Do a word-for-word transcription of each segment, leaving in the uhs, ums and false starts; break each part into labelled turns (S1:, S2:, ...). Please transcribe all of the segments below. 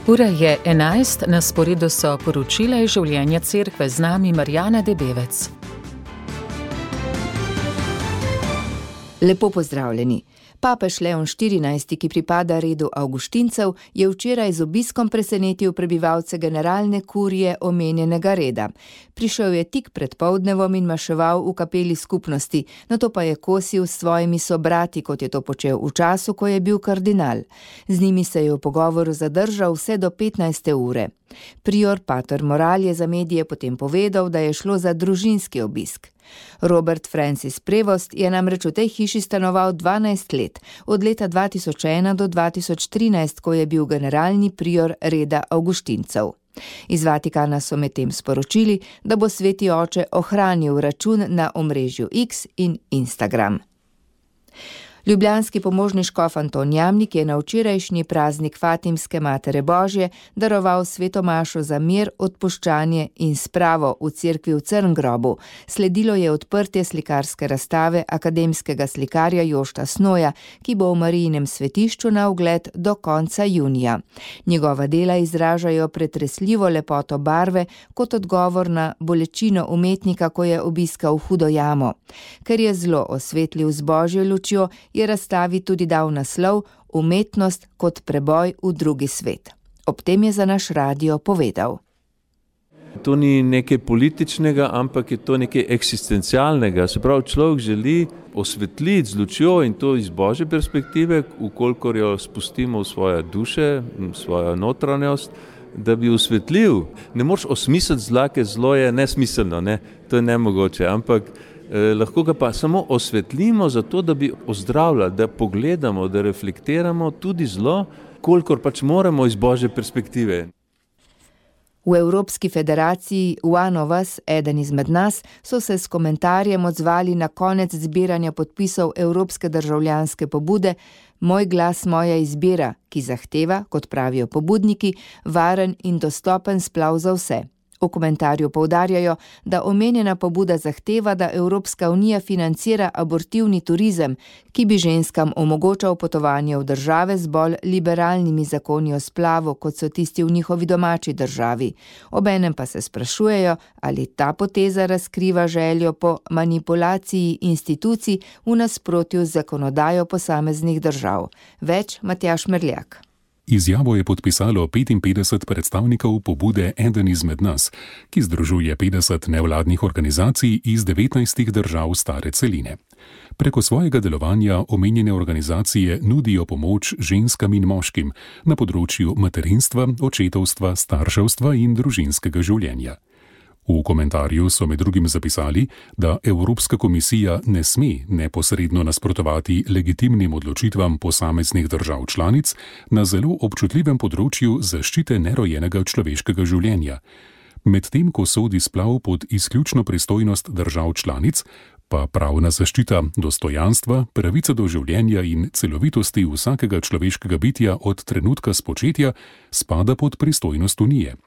S1: Ura je enajst, na sporedu so poročila iz življenja cerkve, z nami Marjana Debevec.
S2: Lepo pozdravljeni. Papež Leon štirinajsti, ki pripada redu Avguštincev, je včeraj z obiskom presenetil prebivalce generalne kurije omenjenega reda. Prišel je tik pred poldnevom in maševal v kapeli skupnosti, nato pa je kosil s svojimi sobrati, kot je to počel v času, ko je bil kardinal. Z njimi se je v pogovoru zadržal vse do petnajste ure. Prior pater Moral je za medije potem povedal, da je šlo za družinski obisk. Robert Francis Prevost je namreč v tej hiši stanoval dvanajst let, od leta dva tisoč ena do dva tisoč trinajst, ko je bil generalni prior reda Avguštincev. Iz Vatikana so medtem sporočili, da bo sveti oče ohranil račun na omrežju X in Instagram. Ljubljanski pomožni škof Anton Jamnik je na včerajšnji praznik Fatimske Matere Božje daroval sveto mašo za mir, odpuščanje in spravo v cerkvi v Crngrobu. Sledilo je odprtje slikarske razstave akademskega slikarja Jošta Snoja, ki bo v Marijinem svetišču na ogled do konca junija. Njegova dela izražajo pretresljivo lepoto barve kot odgovor na bolečino umetnika, ko je obiskal hudo jamo. Ker je zlo osvetlil z božjo lučjo, je razstavi tudi dal naslov Umetnost kot preboj v drugi svet. Ob tem je za naš radio povedal.
S3: To ni nekaj političnega, ampak je to nekaj eksistencialnega. Se pravi, človek želi osvetliti z lučjo in to iz božje perspektive, ukolikor jo spustimo v svoje duše, v svojo notranjost, da bi osvetlil. Ne moreš osmisliti zla, ker zlo je nesmiselno, ne? To je nemogoče, ampak Eh, lahko ga pa samo osvetlimo zato, da bi ozdravljali, da pogledamo, da reflektiramo tudi zlo, kolikor pač moramo iz božje perspektive.
S2: V Evropski federaciji One of Us, eden izmed nas, so se s komentarjem odzvali na konec zbiranja podpisov Evropske državljanske pobude Moj glas, moja izbira, ki zahteva, kot pravijo pobudniki, varen in dostopen splav za vse. V komentarju poudarjajo, da omenjena pobuda zahteva, da Evropska unija financira abortivni turizem, ki bi ženskam omogočal potovanje v države z bolj liberalnimi zakoni o splavu, kot so tisti v njihovi domači državi. Obenem pa se sprašujejo, ali ta poteza razkriva željo po manipulaciji institucij v nasprotju z zakonodajo posameznih držav. Več Matjaž Merljak.
S4: Izjavo je podpisalo petinpetdeset predstavnikov pobude Eden izmed nas, ki združuje petdeset nevladnih organizacij iz devetnajstih držav stare celine. Preko svojega delovanja omenjene organizacije nudijo pomoč ženskam in moškim na področju materinstva, očetovstva, starševstva in družinskega življenja. V komentarju so med drugim zapisali, da Evropska komisija ne sme neposredno nasprotovati legitimnim odločitvam posameznih držav članic na zelo občutljivem področju zaščite nerojenega človeškega življenja. Medtem ko sodi splav pod izključno pristojnost držav članic, pa pravna zaščita dostojanstva, pravica do življenja in celovitosti vsakega človeškega bitja od trenutka spočetja spada pod pristojnost Unije.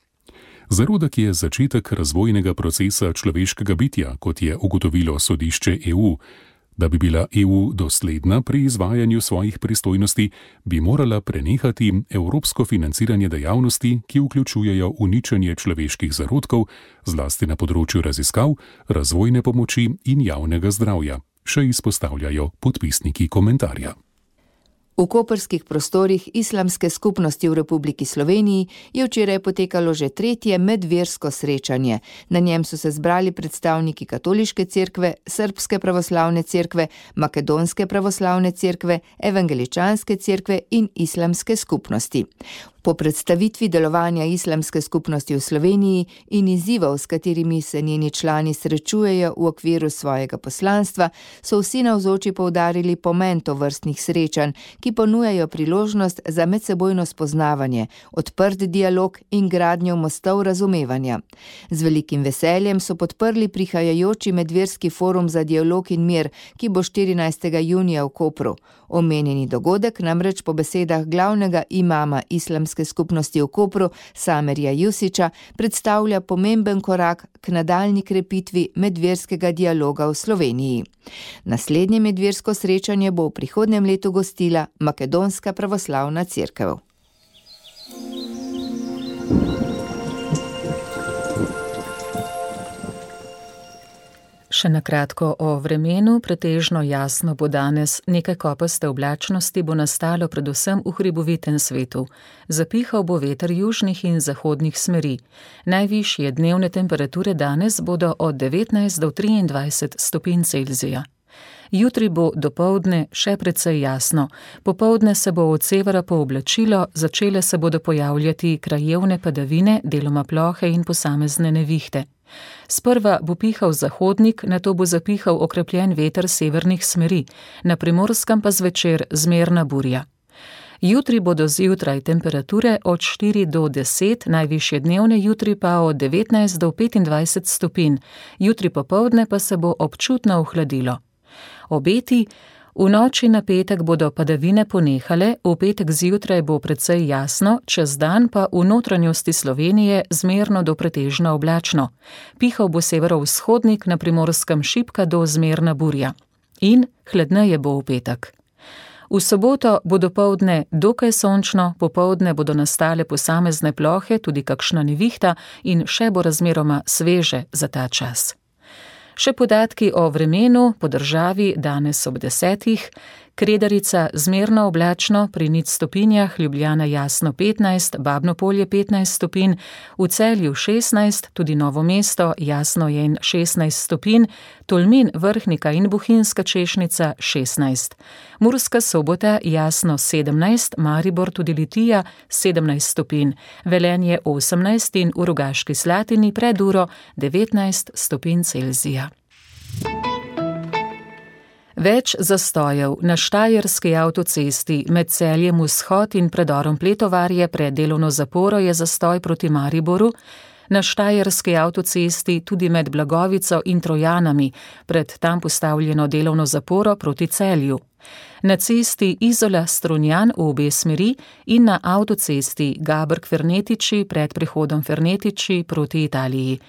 S4: Zarodek je začetek razvojnega procesa človeškega bitja, kot je ugotovilo sodišče E U. Da bi bila E U dosledna pri izvajanju svojih pristojnosti, bi morala prenehati evropsko financiranje dejavnosti, ki vključujejo uničenje človeških zarodkov, zlasti na področju raziskav, razvojne pomoči in javnega zdravja, še izpostavljajo podpisniki komentarja.
S2: V koprskih prostorih islamske skupnosti v Republiki Sloveniji je včeraj potekalo že tretje medversko srečanje. Na njem so se zbrali predstavniki katoliške cerkve, srbske pravoslavne cerkve, makedonske pravoslavne cerkve, evangeličanske cerkve in islamske skupnosti. Po predstavitvi delovanja islamske skupnosti v Sloveniji in izzivov, s katerimi se njeni člani srečujejo v okviru svojega poslanstva, so vsi navzoči poudarili pomen tovrstnih srečanj, ki ponujajo priložnost za medsebojno spoznavanje, odprt dialog in gradnjo mostov razumevanja. Z velikim veseljem so podprli prihajajoči medverski forum za dialog in mir, ki bo štirinajstega junija v Kopru. Omenjeni dogodek namreč po besedah glavnega imama islamske skupnosti v Kopru, Samerja Jusića, predstavlja pomemben korak k nadaljnji krepitvi medverskega dialoga v Sloveniji. Naslednje medversko srečanje bo v prihodnjem letu gostila Makedonska pravoslavna cerkev.
S1: Še na kratko o vremenu, pretežno jasno bo danes, nekaj kopaste oblačnosti bo nastalo predvsem v hribovitem svetu. Zapihal bo veter južnih in zahodnih smeri. Najvišje dnevne temperature danes bodo od devetnajst do triindvajset stopinj Celzija. Jutri bo dopoldne še precej jasno. Popoldne se bo od severa pooblačilo, začele se bodo pojavljati krajevne padavine, deloma plohe in posamezne nevihte. Sprva bo pihal zahodnik, nato bo zapihal okrepljen veter severnih smeri, na Primorskem pa zvečer zmerna burja. Jutri bodo zjutraj temperature od štiri do deset, najvišje dnevne jutri pa od devetnajst do petindvajset stopinj, jutri popoldne pa se bo občutno ohladilo. Obeti: v noči na petek bodo padavine ponehale, v petek zjutraj bo precej jasno, čez dan pa v notranjosti Slovenije zmerno do pretežno oblačno. Pihal bo severovzhodnik, na Primorskem šibka do zmerna burja. In hladneje bo v petek. V soboto bo dopoldne dokaj sončno, popoldne bodo nastale posamezne plohe, tudi kakšna nevihta in še bo razmeroma sveže za ta čas. Še podatki o vremenu po državi danes ob desetih. Kredarica zmerno oblačno pri nič stopinjah, Ljubljana jasno petnajst, Babno Polje petnajst stopinj, v Celju šestnajst, tudi Novo mesto jasno je in šestnajst stopinj, Tolmin, Vrhnika in Bohinjska Češnica šestnajst. Murska Sobota jasno sedemnajst, Maribor tudi Litija sedemnajst stopinj, Velenje osemnajst in v Rogaški Slatini pred uro devetnajst stopinj Celzija. Več zastojev. Na Štajerski avtocesti med Celjem Vzhod in predorom Pletovarje pred delovno zaporo je zastoj proti Mariboru, na Štajerski avtocesti tudi med Blagovico in Trojanami pred tam postavljeno delovno zaporo proti Celju. Na cesti Izola-Strunjan v obe smeri in na avtocesti Gabrk-Fernetiči pred prehodom Fernetiči proti Italiji.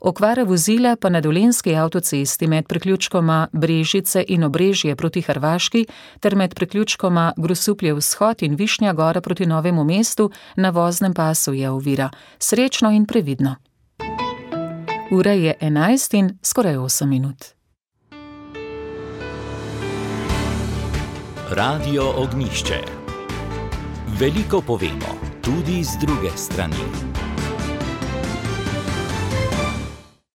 S1: Okvara vozila pa na Dolenjski avtocesti med priključkoma Brežice in Obrežje proti Hrvaški ter med priključkoma Grosuplje Vzhod in Višnja Gora proti Novemu mestu na voznem pasu je ovira. Srečno in previdno. Ura je enajst in skoraj osem minut.
S5: Radio Ognjišče. Veliko povemo, tudi z druge strani.